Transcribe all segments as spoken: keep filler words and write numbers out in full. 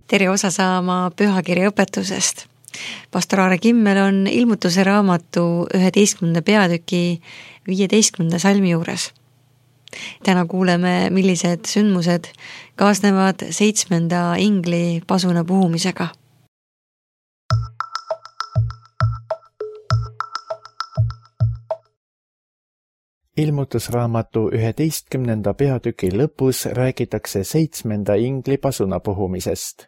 tere osa saama pühakirja õpetusest. Pastor Aare Kimmel on ilmutuse raamatu üheteistkümnenda peatüki viieteistkümnenda salmi juures. Täna kuuleme, millised sündmused kaasnevad seitsmenda ingli pasuna puhumisega. Ilmutusraamatu üheteistkümnenda peatüki lõpus räägitakse seitsmenda ingli pasuna puhumisest.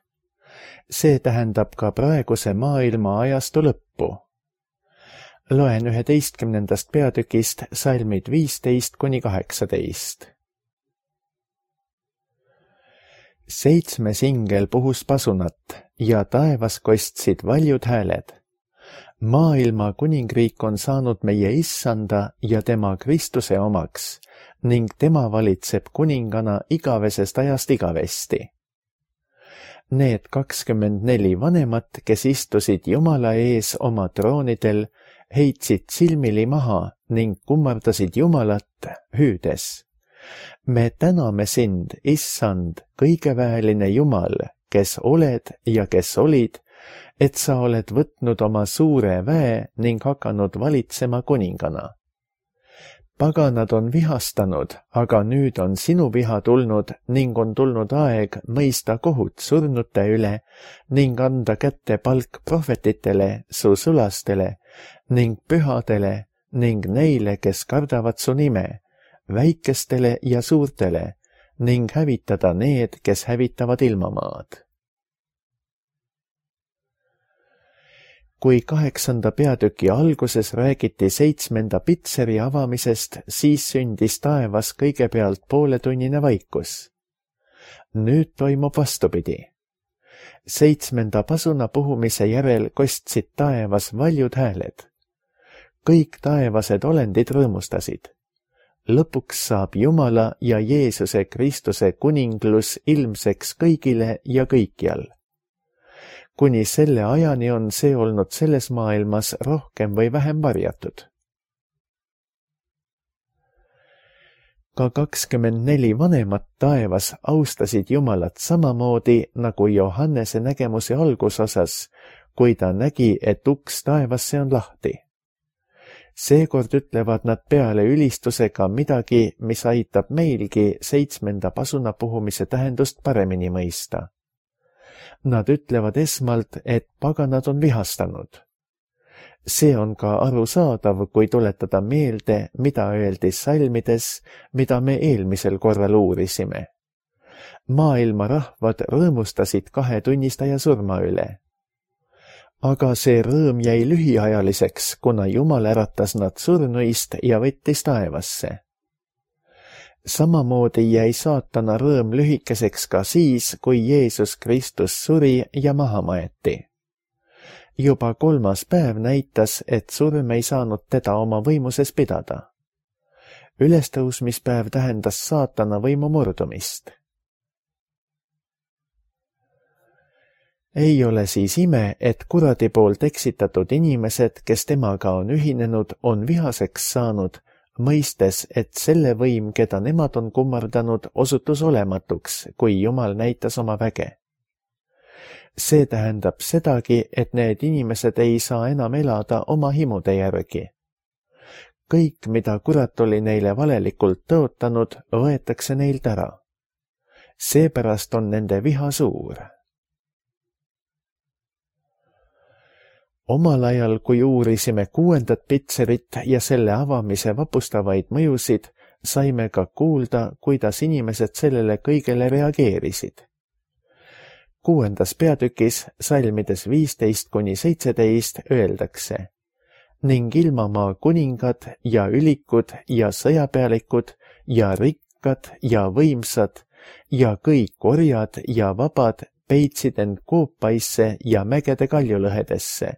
See tähendab ka praeguse maailma ajastu lõppu. Loen üheteistkümnendast peatükist salmid viisteist kuni kaheksateist. Seitsmes ingel puhus pasunat ja taevas kostsid valjud hääled. Maailma kuningriik on saanud meie issanda ja tema Kristuse omaks ning tema valitseb kuningana igavesest ajast igavesti. Need kakskümmend neli vanemat, kes istusid Jumala ees oma troonidel, heitsid silmili maha ning kummardasid Jumalat hüüdes. Me täname sind, issand, kõigeväeline Jumal, kes oled ja kes olid, et sa oled võtnud oma suure väe ning hakanud valitsema kuningana. Paganad on vihastanud, aga nüüd on sinu viha tulnud ning on tulnud aeg mõista kohut surnute üle ning anda kätte palk prohvetitele, su sulastele ning pühadele ning neile, kes kardavad su nime, väikestele ja suurtele ning hävitada need, kes hävitavad ilmamaad. Kui kaheksanda peatüki alguses räägiti seitsmenda pitseri avamisest, siis sündis taevas kõigepealt pooletunnine vaikus. Nüüd toimub vastupidi. Seitsmenda pasuna puhumise järel kostsid taevas valjud hääled. Kõik taevased olendid rõõmustasid. Lõpuks saab Jumala ja Jeesuse Kristuse kuninglus ilmseks kõigile ja kõikjal. Kuni selle ajani on see olnud selles maailmas rohkem või vähem varjatud. Ka kakskümmend neli vanemat taevas austasid Jumalat samamoodi nagu Johannese nägemuse algusosas, kui ta nägi, et uks taevasse on lahti. Seekord ütlevad nad peale ülistusega midagi, mis aitab meilgi seitsmenda pasuna puhumise tähendust paremini mõista. Nad ütlevad esmalt, et paganad on vihastanud. See on ka arusaadav, kui tuletada meelde, mida öeldi salmides, mida me eelmisel korral uurisime. Maailma rahvad rõõmustasid kahe tunnistaja surma üle. Aga see rõõm jäi lühiajaliseks, kuna Jumal äratas nad surnuist ja võttis taevasse. Samamoodi jäi saatana rõõm lühikeseks ka siis, kui Jeesus Kristus suri ja maha maeti. Juba kolmas päev näitas, et surm ei saanud teda oma võimuses pidada. Ülestõusmispäev tähendas saatana võimu murdumist. Ei ole siis ime, et kuradi poolt eksitatud inimesed, kes temaga on ühinenud, on vihaseks saanud, mõistes, et selle võim, keda nemad on kummardanud, osutus olematuks, kui Jumal näitas oma väge. See tähendab sedagi, et need inimesed ei saa enam elada oma himude järgi. Kõik, mida kurat oli neile valelikult tõotanud, võetakse neilt ära. Seepärast on nende viha suur. Omal ajal, kui uurisime kuuendat pitserit ja selle avamise vapustavaid mõjusid, saime ka kuulda, kuidas inimesed sellele kõigele reageerisid. Kuuendas peatükis, salmides viisteist kuni seitseteist, öeldakse: ning ilmamaa kuningad ja ülikud ja sõjapealikud ja rikkad ja võimsad ja kõik orjad ja vabad peitsid end koopaisse ja mägede kaljulõhedesse.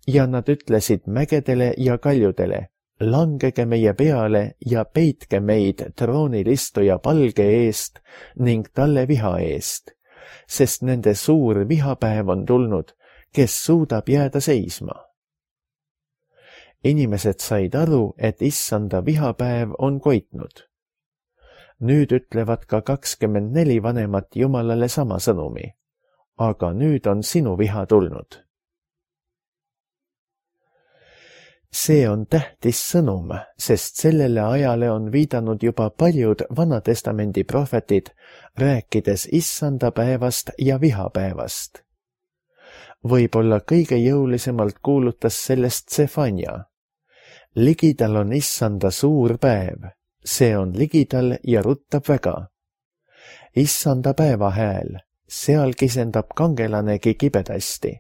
Ja nad ütlesid mägedele ja kaljudele: langege meie peale ja peitke meid troonil istuja palge eest ning talle viha eest, sest nende suur vihapäev on tulnud, kes suudab jääda seisma. Inimesed said aru, et issanda vihapäev on koitnud. Nüüd ütlevad ka kakskümmend neli vanemat Jumalale sama sõnumi. aga nüüd on sinu viha tulnud. See on tähtis sõnum, sest sellele ajale on viidanud juba paljud Vanatestamendi prohvetid, rääkides issanda päevast ja vihapäevast. Võib-olla kõige jõulisemalt kuulutas sellest Sefania. Ligidal on issanda suur päev, see on ligidal ja ruttab väga. Issanda päeva hääl, seal kisendab kangelanegi kibedasti.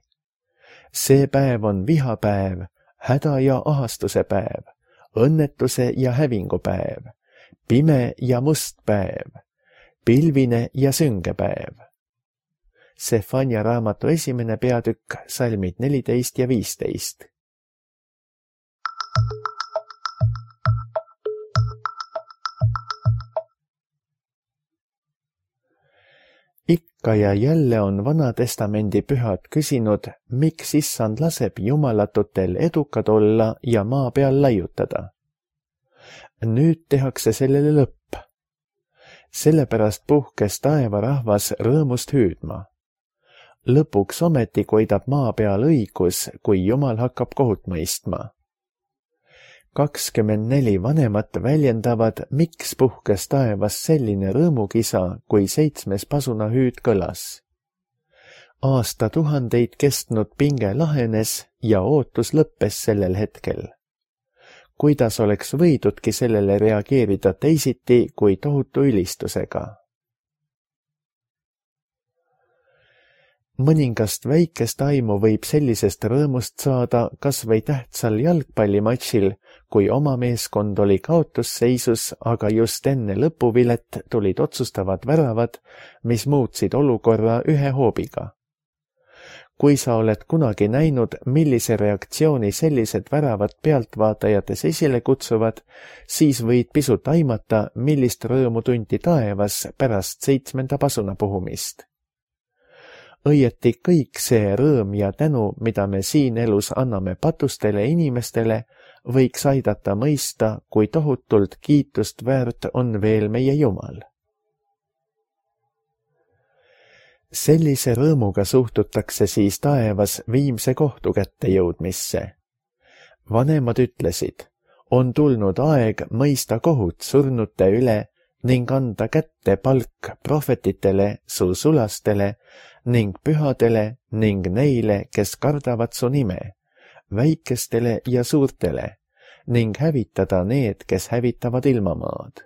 See päev on vihapäev, häda ja ahastuse päev, õnnetuse ja hävingu päev, pime ja must päev, pilvine ja sünge päev. Sefania raamatu esimene peatükk, salmid neliteist ja viisteist. Ikka ja jälle on Vanatestamendi pühad küsinud, miks issand laseb jumalatutel edukad olla ja maa peal laiutada. Nüüd tehakse sellele lõpp. Sellepärast puhkes taevarahvas rõõmust hüüdma. Lõpuks ometi koidab maa peal õigus, kui Jumal hakkab kohut mõistma. kakskümmend neli vanemat väljendavad, miks puhkes taevas selline rõõmukisa, kui seitsmes pasunahüüd kõlas. Aastatuhandeid kestnud pinge lahenes ja ootus lõppes sellel hetkel. Kuidas oleks võidudki sellele reageerida teisiti kui tohutu ülistusega? Mõningast väikest aimu võib sellisest rõõmust saada kas või tähtsal jalgpallimatšil, kui oma meeskond oli kaotusseisus, aga just enne lõpuvilet tulid otsustavad väravad, mis muutsid olukorra ühe hoobiga. Kui sa oled kunagi näinud, millise reaktsiooni sellised väravad pealtvaatajates esile kutsuvad, siis võid pisut aimata, millist rõõmu tunti taevas pärast seitsmenda pasuna puhumist. Õieti kõik see rõõm ja tänu, mida me siin elus anname patustele inimestele, võiks aidata mõista, kui tohutult kiitust väärt on veel meie Jumal. Sellise rõõmuga suhtutakse siis taevas viimse kohtu kätte jõudmisse. Vanemad ütlesid, on tulnud aeg mõista kohut surnute üle ning anda kätte palk prohvetitele, su sulastele ning pühadele ning neile, kes kardavad su nime, väikestele ja suurtele, ning hävitada need, kes hävitavad ilmamaad.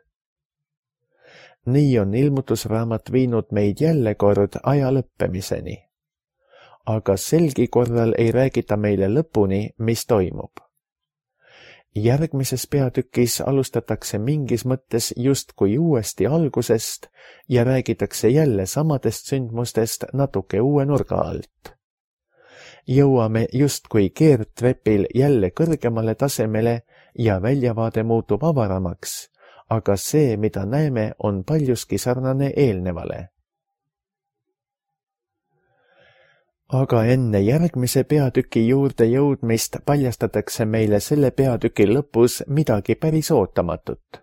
Nii on ilmutusraamat viinud meid jälle kord aja lõppemiseni. Aga selgi korral ei räägita meile lõpuni, mis toimub. Järgmises peatükis alustatakse mingis mõttes justkui uuesti algusest ja räägitakse jälle samadest sündmustest natuke uue nurga alt. Jõuame justkui keerdtrepil jälle kõrgemale tasemele ja väljavaade muutub avaramaks, aga see, mida näeme, on paljuski sarnane eelnevale. Aga enne järgmise peatüki juurde jõudmist paljastatakse meile selle peatüki lõpus midagi päris ootamatut.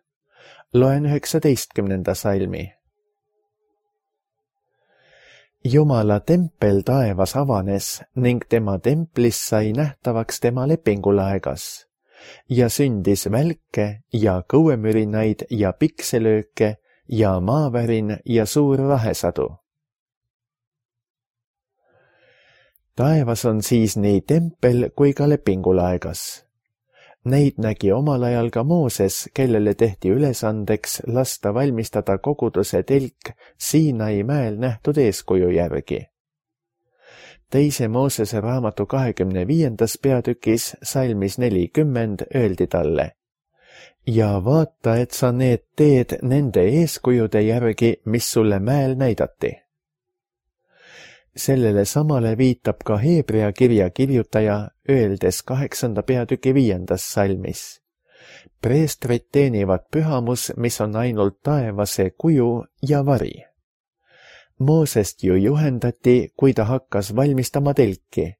Loen üheksateistkümnenda salmi. Jumala tempel taevas avanes ning tema templis sai nähtavaks tema lepingulaegas ja sündis välke ja kõuemürinaid ja pikselööke ja maavärin ja suur rahesadu. Taevas on siis nii tempel kui ka lepingulaegas. Neid nägi omal ajal ka Mooses, kellele tehti ülesandeks lasta valmistada koguduse telk Siinai mäel nähtud eeskuju järgi. Teise Moosese raamatu kahekümne viiendas peatükis salmis nelikümmend öeldi talle: ja vaata, et sa need teed nende eeskujude järgi, mis sulle mäel näidati. Sellele samale viitab ka Heebrea kirja kirjutaja, öeldes kaheksanda peatüki viiendas salmis. Preestrid teenivad pühamus, mis on ainult taevase kuju ja vari. Moosest ju juhendati, kui ta hakkas valmistama telki.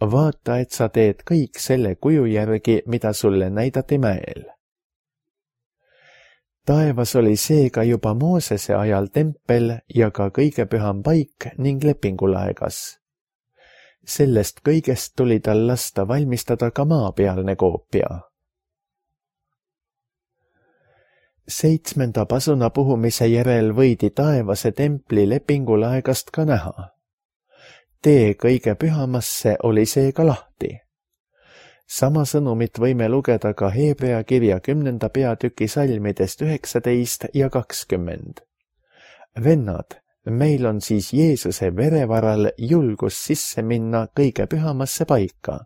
Vaata, et sa teed kõik selle kuju järgi, mida sulle näidati mäel. taevas oli seega juba Moosese ajal tempel ja ka kõige püham paik ning lepingulaegas. Sellest kõigest tuli tal lasta valmistada ka maapealne koopia. Seitsmenda pasuna puhumise järel võidi taevase templi lepingulaegast ka näha. Tee kõige pühamasse oli seega lahti. Sama sõnumit võime lugeda ka Hebrea kirja kümnenda peatüki salmidest üheksateist ja kakskümmend. Vennad, meil on siis Jeesuse verevaral julgus sisse minna kõige pühamasse paika.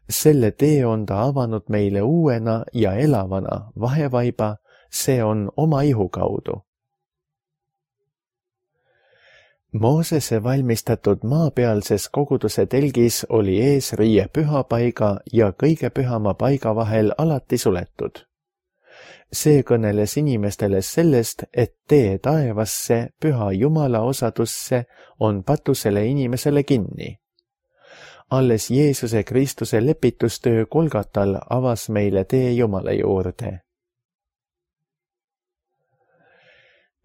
Selle tee on ta avanud meile uuena ja elavana vahevaiba, see on oma ihu kaudu. Moosese valmistatud maapealses koguduse telgis oli eesriie pühapaiga ja kõige pühama paiga vahel alati suletud. See kõneles inimestele sellest, et tee taevasse püha Jumala osadusse on patusele inimesele kinni. Alles Jeesuse Kristuse lepitustöö Golgatal avas meile tee Jumala juurde.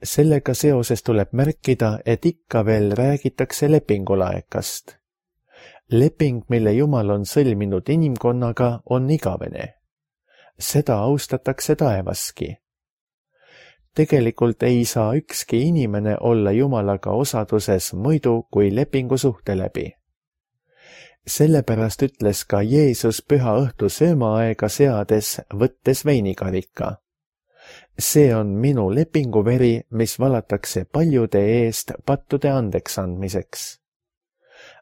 Sellega seoses tuleb märkida, et ikka veel räägitakse lepingulaekast. Leping, mille Jumal on sõlminud inimkonnaga, on igavene. Seda austatakse taevaski. Tegelikult ei saa ükski inimene olla Jumalaga osaduses muidu kui lepingusuhte läbi. Sellepärast ütles ka Jeesus püha õhtu söömaaega seades, võttes veinikarika. See on minu lepinguveri, mis valatakse paljude eest pattude andeks andmiseks.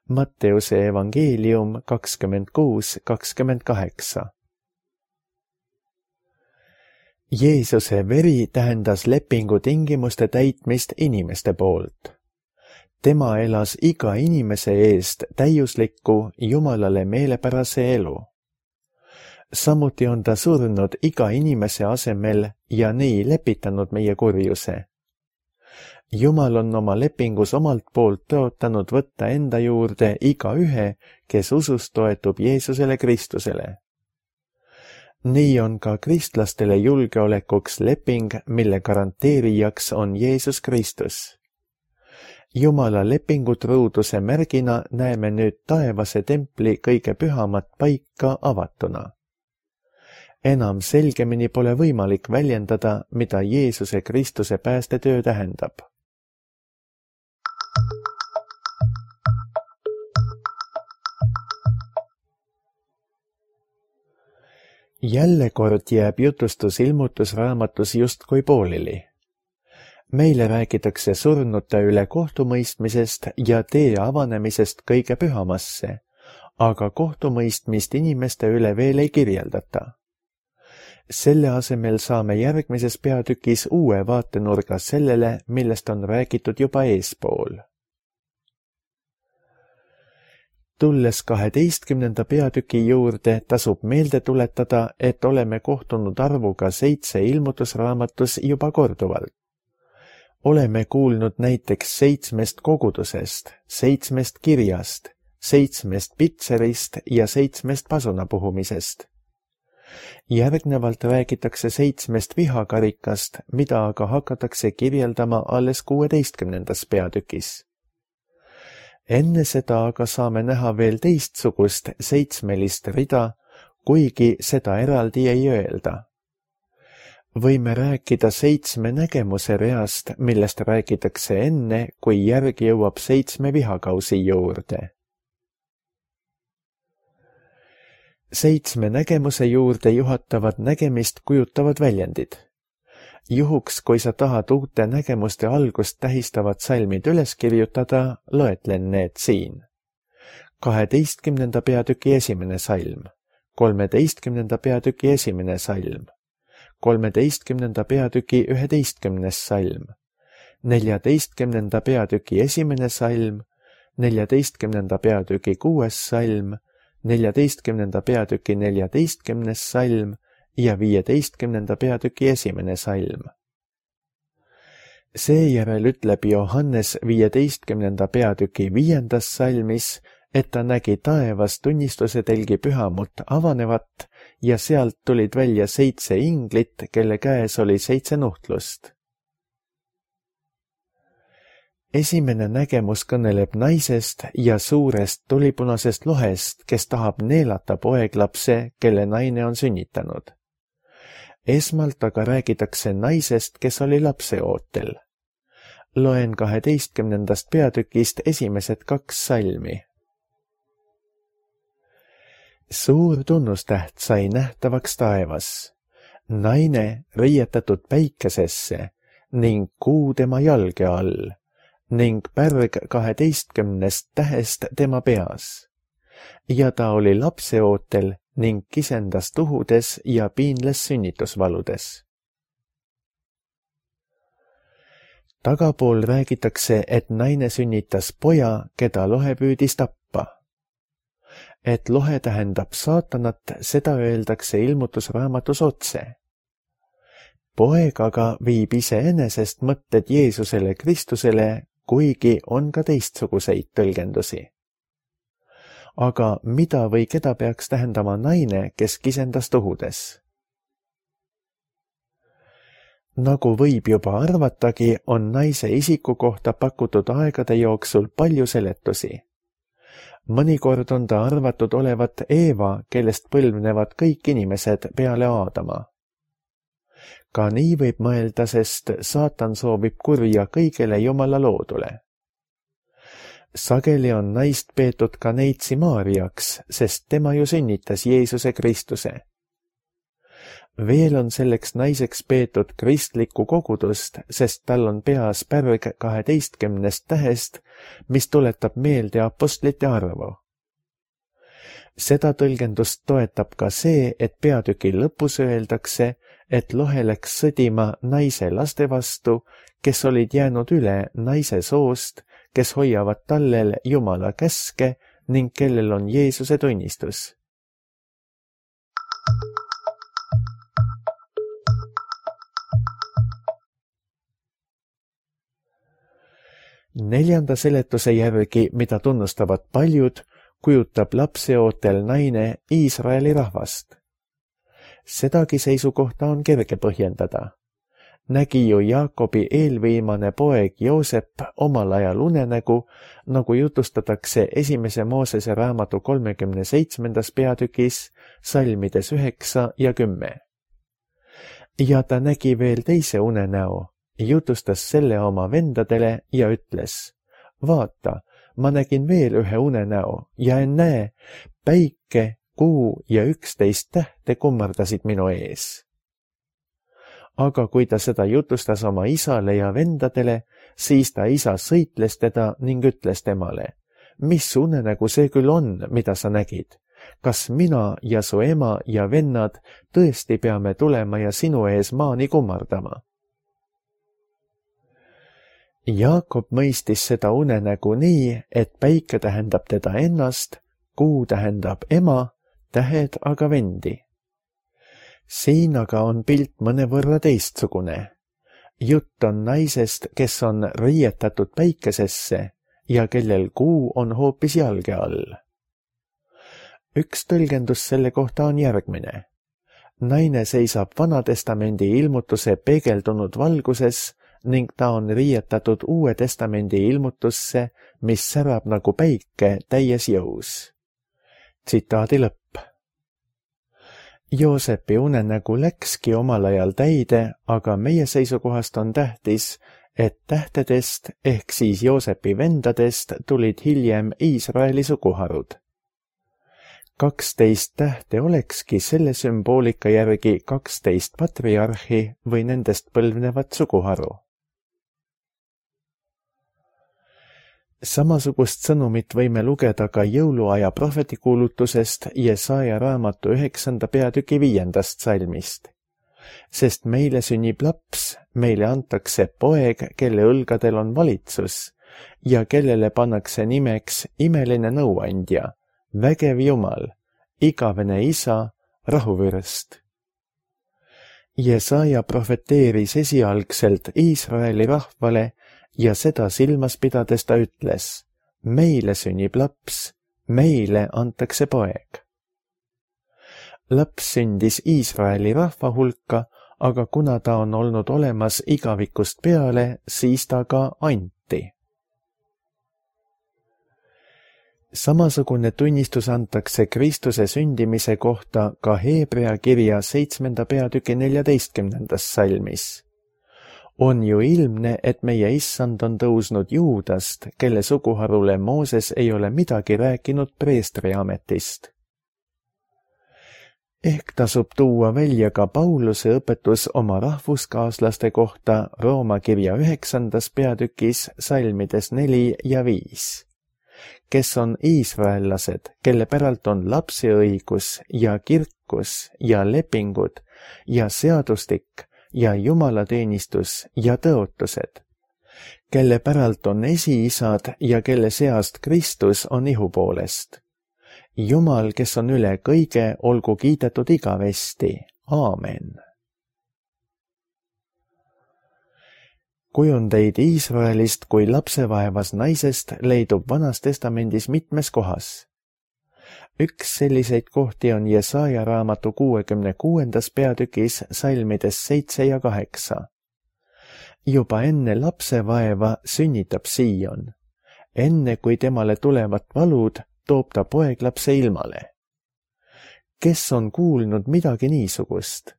Matteuse evangeelium kakskümmend kuus kakskümmend kaheksa. Jeesuse veri tähendas lepingu tingimuste täitmist inimeste poolt. Tema elas iga inimese eest täiuslikku Jumalale meelepärase elu. Samuti on ta surnud iga inimese asemel ja nii lepitanud meie kurjuse. Jumal on oma lepingus omalt poolt tõotanud võtta enda juurde iga ühe, kes usus toetub Jeesusele Kristusele. Nii on ka kristlastele julgeolekuks leping, mille garanteerijaks on Jeesus Kristus. Jumala lepingutruuduse märgina näeme nüüd taevase templi kõige pühamat paika avatuna. Enam selgemini pole võimalik väljendada, mida Jeesuse Kristuse päästetöö tähendab. Jälle kord jääb jutustus ilmutusraamatus justkui pooleli. Meile räägitakse surnute üle kohtumõistmisest ja tee avanemisest kõige pühamasse, aga kohtumõistmist inimeste üle veel ei kirjeldata. Selle asemel saame järgmises peatükis uue vaatenurga sellele, millest on räägitud juba eespool. Tulles kaheteistkümnenda peatüki juurde, tasub meelde tuletada, et oleme kohtunud arvuga seitse ilmutusraamatus juba korduvalt. Oleme kuulnud näiteks seitsmest kogudusest, seitsmest kirjast, seitsmest pitserist ja seitsmest pasunapuhumisest. Järgnevalt räägitakse seitsmest vihakarikast, mida aga hakatakse kirjeldama alles kuueteistkümnendas peatükis. Enne seda aga saame näha veel teistsugust seitsmelist rida, kuigi seda eraldi ei öelda. Võime rääkida seitsme nägemuse reast, millest räägitakse enne, kui järgi jõuab seitsme vihakausi juurde. Seitsme nägemuse juurde juhatavad nägemist kujutavad väljendid. Juhuks, kui sa tahad uute nägemuste algust tähistavad salmid üles kirjutada, loetlen need siin. kaheteistkümnenda peatüki esimene salm, kolmeteistkümnenda peatüki esimene salm, kolmeteistkümnenda peatüki üheteistkümnes salm, neljateistkümnenda peatüki esimene salm, neljateistkümnenda peatüki kuues salm, neljateistkümnenda peatüki neljateistkümnes salm ja viieteistkümnenda peatüki esimene salm. Seejärel ütleb Johannes viieteistkümnenda peatüki viiendas salmis, et ta nägi taevas tunnistuse telgi pühamut avanevat ja sealt tulid välja seitse inglit, kelle käes oli seitse nuhtlust. Esimene nägemus kõneleb naisest ja suurest tulipunasest lohest, kes tahab neelata poeglapse, kelle naine on sünnitanud. Esmalt aga räägitakse naisest, kes oli lapseootel. Loen kaheteistkümnendast peatükist esimesed kaks salmi. Suur tunnustäht sai nähtavaks taevas, naine riietatud päikesesse ning kuu tema jalge all ning pärg kaheteistkümnest tähest tema peas. Ja ta oli lapseootel ning kisendas tuhudes ja piinles sünnitusvaludes. Tagapool räägitakse, et naine sünnitas poja, keda lohe püüdis tappa. Et lohe tähendab saatanat, seda öeldakse ilmutusraamatus otse. Poeg aga viib iseenesest mõtted Jeesusele Kristusele, kuigi on ka teistsuguseid tõlgendusi. Aga mida või keda peaks tähendama naine, kes kisendas tuhudes? Nagu võib juba arvatagi, on naise isiku kohta pakutud aegade jooksul palju seletusi. Mõnikord on ta arvatud olevat Eeva, kellest põlvnevad kõik inimesed peale Aadama. Ka nii võib mõelda, sest saatan soovib kurja kõigele Jumala loodule. Sageli on naist peetud ka neitsi Maariaks, sest tema ju sünnitas Jeesuse Kristuse. Veel on selleks naiseks peetud kristlikku kogudust, sest tal on peas pärg kaheteistkümnest tähest, mis tuletab meelde apostlite arvu. Seda tõlgendust toetab ka see, et peatüki lõpus öeldakse, et lohe läks sõdima naise laste vastu, kes olid jäänud üle naise soost, kes hoiavad tallel Jumala käske ning kellel on Jeesuse tunnistus. Neljanda seletuse järgi, mida tunnustavad paljud, kujutab lapseootel naine Iisraeli rahvast. Sedagi seisukohta on kerge põhjendada. Nägi ju Jaakobi eelviimane poeg Joosep omal ajal unenägu, nagu jutustatakse esimese Moosese raamatu kolmekümne seitsmendas peatükis, salmides üheksa ja kümme. Ja ta nägi veel teise unenäo, jutustas selle oma vendadele ja ütles, vaata, ma nägin veel ühe unenäo ja ennäe, päike, kuu ja üksteist tähte kummardasid minu ees. Aga kui ta seda jutustas oma isale ja vendadele, siis ta isa sõitles teda ning ütles temale, mis unenägu see küll on, mida sa nägid? Kas mina ja su ema ja vennad tõesti peame tulema ja sinu ees maani kummardama? Jaakob mõistis seda unenägu nii, et päike tähendab teda ennast, kuu tähendab ema, tähed aga vendi. Siin aga on pilt mõnevõrra teistsugune. Jutt on naisest, kes on riietatud päikesesse ja kellel kuu on hoopis jalge all. Üks tõlgendus selle kohta on järgmine. Naine seisab Vanatestamendi ilmutuse peegeldunud valguses ning ta on riietatud Uue Testamendi ilmutusse, mis särab nagu päike täies jõus. Tsitaadi lõpp. Joosepi unenägu läkski omal ajal täide, aga meie seisukohast on tähtis, et tähtedest ehk siis Joosepi vendadest tulid hiljem Iisraeli suguharud. kaksteist tähte olekski selle sümboolika järgi kaksteist patriarhi või nendest põlvnevat suguharu. Samasugust sõnumit võime lugeda ka jõuluaja prohvetikuulutusest Jesaja raamatu üheksanda peatüki viiendast salmist. Sest meile sünnib laps, meile antakse poeg, kelle õlgadel on valitsus ja kellele pannakse nimeks imeline nõuandja, vägev Jumal, igavene isa, rahuvürst. Jesaja profeteeris esialgselt Iisraeli rahvale ja seda silmas pidades ta ütles, meile sünnib laps, meile antakse poeg. Laps sündis Iisraeli rahva hulka, aga kuna ta on olnud olemas igavikust peale, siis ta ka anti. Samasugune tunnistus antakse Kristuse sündimise kohta ka Heebrea kirja seitsmenda peatüki neljateistkümnendas salmis. On ju ilmne, et meie issand on tõusnud Juudast, kelle suguharule Mooses ei ole midagi rääkinud preestri ametist. Ehk tasub tuua välja ka Pauluse õpetus oma rahvuskaaslaste kohta Rooma kirja üheksandas peatükis salmides neli ja viis. Kes on iisraellased, kelle päralt on lapseõigus ja kirkus ja lepingud ja seadustik ja jumalateenistus ja tõotused, kelle päralt on esiisad ja kelle seast Kristus on ihu poolest. Jumal, kes on üle kõige, olgu kiidetud igavesti. Aamen. Kujundeid Iisraelist kui lapsevaevas naisest leidub Vanas Testamendis mitmes kohas. Üks selliseid kohti on Jesaja raamatu kuuekümne kuuendas peatükis salmides seitse ja kaheksa. Juba enne lapsevaeva sünnitab Siion. Enne kui temale tulevad valud, toob ta poeglapse ilmale. Kes on kuulnud midagi niisugust?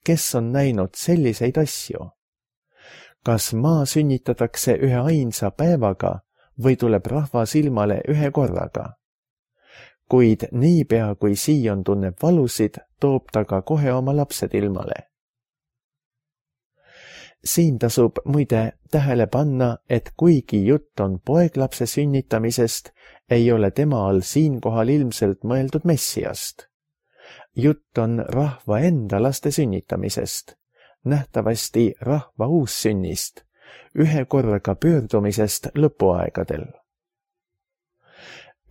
Kes on näinud selliseid asju? Kas maa sünnitatakse ühe ainsa päevaga või tuleb rahvas ilmale ühe korraga? Kuid niipea kui Siion tunneb valusid, toob ta ka kohe oma lapsed ilmale. Siin tasub muide tähele panna, et kuigi jutt on poeglapse sünnitamisest, ei ole tema all siinkohal ilmselt mõeldud Messiast. Jutt on rahva enda laste sünnitamisest, nähtavasti rahva uussünnist, ühe korraga pöördumisest lõpuaegadel.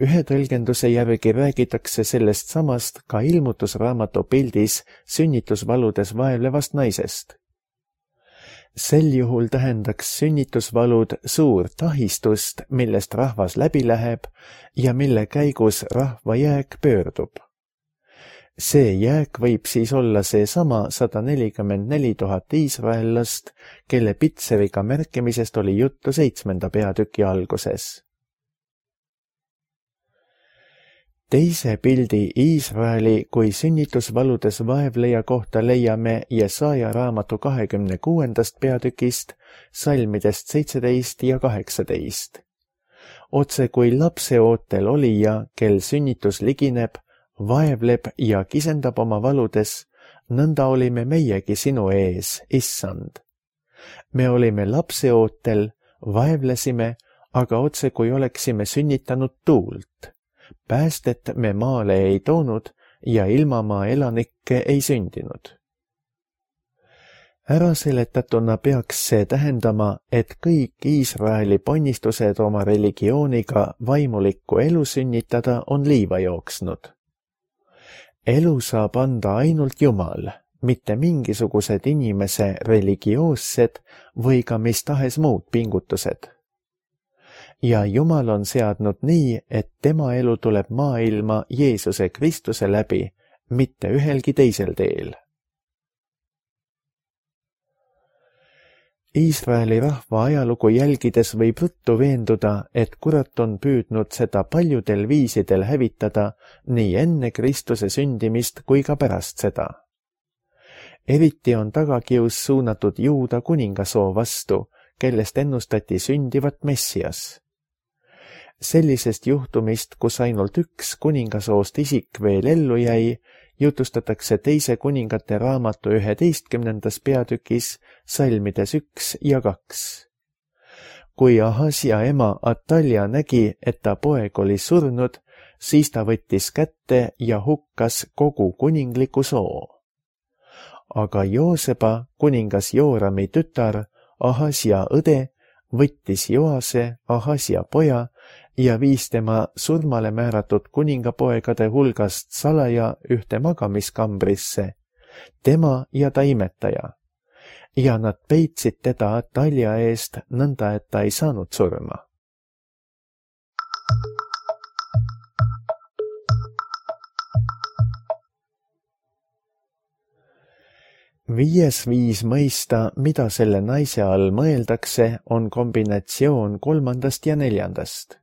Ühe tõlgenduse järgi räägitakse sellest samast ka ilmutusraamatu pildis sünnitusvaludes vaevlevast naisest. Sel juhul tähendaks sünnitusvalud suurt ahistust, millest rahvas läbi läheb ja mille käigus rahva jääk pöördub. See jääk võib siis olla seesama sada nelikümmend neli tuhat iisraellast, kelle pitseriga märkimisest oli juttu seitsmenda peatüki alguses. Teise pildi Iisraeli kui sünnitusvaludes vaevleja kohta leiame Jesaja raamatu kahekümne kuuendast peatükist salmidest seitseteist ja kaheksateist. Otse kui lapseootel olija, kel sünnitus ligineb, vaevleb ja kisendab oma valudes, nõnda olime meiegi sinu ees, issand. Me olime lapseootel, vaevlesime, aga otse kui oleksime sünnitanud tuult. Päästet me maale ei toonud ja ilmamaa elanikke ei sündinud. Äraseletatuna peaks see tähendama, et kõik Iisraeli ponnistused oma religiooniga vaimulikku elu sünnitada on liiva jooksnud. Elu saab anda ainult Jumal, mitte mingisugused inimese religioossed või ka mis tahes muud pingutused. Ja Jumal on seadnud nii, et tema elu tuleb maailma Jeesuse Kristuse läbi, mitte ühelgi teisel teel. Iisraeli rahva ajalugu jälgides võib ruttu veenduda, et kurat on püüdnud seda paljudel viisidel hävitada nii enne Kristuse sündimist kui ka pärast seda. Eriti on tagakius suunatud Juuda kuningasoo vastu, kellest ennustati sündivat Messias. Sellisest juhtumist, kus ainult üks kuningasoost isik veel ellu jäi, jutustatakse teise kuningate raamatu üheteistkümnendas peatükis salmides üks ja kaks. Kui Ahasja ema Atalja nägi, et ta poeg oli surnud, siis ta võttis kätte ja hukkas kogu kuningliku soo. Aga Jooseba, kuningas Joorami tütar, Ahasja õde, võttis Joase, Ahasja poja, ja viis tema surmale määratud kuningapoegade hulgast salaja ühte magamiskambrisse, tema ja ta imetaja, ja nad peitsid teda Atalja eest nõnda, et ta ei saanud surma. Viies viis mõista, mida selle naise all mõeldakse, on kombinatsioon kolmandast ja neljandast.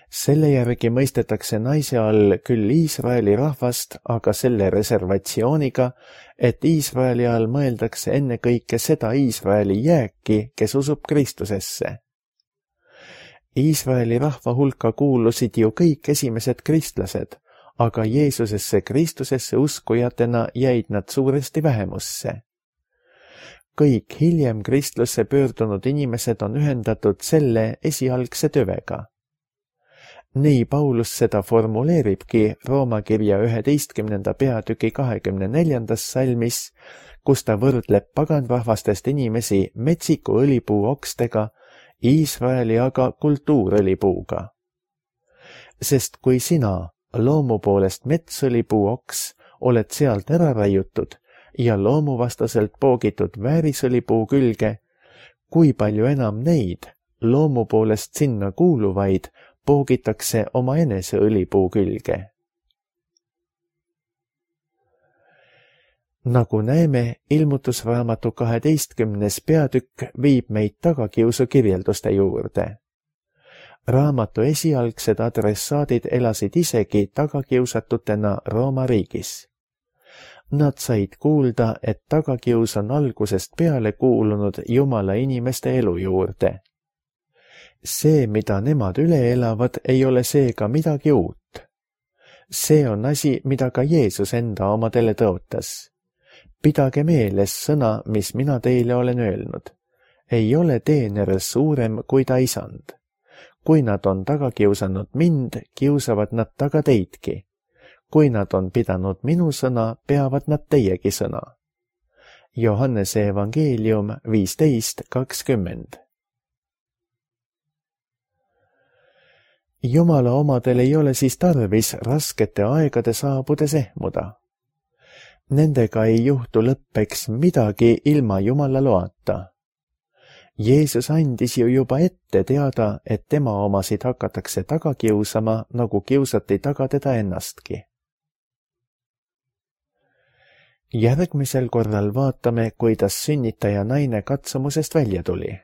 Selle järgi mõistetakse naise all küll Iisraeli rahvast, aga selle reservatsiooniga, et Iisraeli all mõeldakse ennekõike seda Iisraeli jääki, kes usub Kristusesse. Iisraeli rahva hulka kuulusid ju kõik esimesed kristlased, aga Jeesusesse Kristusesse uskujatena jäid nad suuresti vähemusse. Kõik hiljem kristlusse pöördunud inimesed on ühendatud selle esialgse tüvega. Nii Paulus seda formuleeribki Rooma kirja üheteistkümnenda peatüki kahekümne neljandas salmis, kus ta võrdleb paganrahvastest inimesi metsiku õlipuu okstega, Iisraeli aga kultuurõlipuuga. Sest kui sina, loomu poolest metsõlipuu oks, oled sealt ära raiutud ja loomuvastaselt poogitud väärisõlipuu külge, kui palju enam neid, loomu poolest sinna kuuluvaid, poogitakse oma enese õlipuu külge. Nagu näeme, ilmutusraamatu kaheteistkümnes peatükk viib meid tagakiusu kirjelduste juurde. Raamatu esialgsed adressaadid elasid isegi tagakiusatutena Rooma riigis. Nad said kuulda, et tagakius on algusest peale kuulunud Jumala inimeste elu juurde. See, mida nemad üle elavad, ei ole seega midagi uut. See on asi, mida ka Jeesus enda omadele tõotas. Pidage meeles sõna, mis mina teile olen öelnud. Ei ole teener suurem kui ta isand. Kui nad on taga kiusanud mind, kiusavad nad taga teidki. Kui nad on pidanud minu sõna, peavad nad teiegi sõna. Johannese evangeelium viisteist kakskümmend. Jumala omadel ei ole siis tarvis raskete aegade saabudes ehmuda. Nendega ei juhtu lõppeks midagi ilma Jumala loata. Jeesus andis ju juba ette teada, et tema omasid hakatakse taga kiusama, nagu kiusati taga teda ennastki. Järgmisel korral vaatame, kuidas sünnitaja naine katsumusest välja tuli.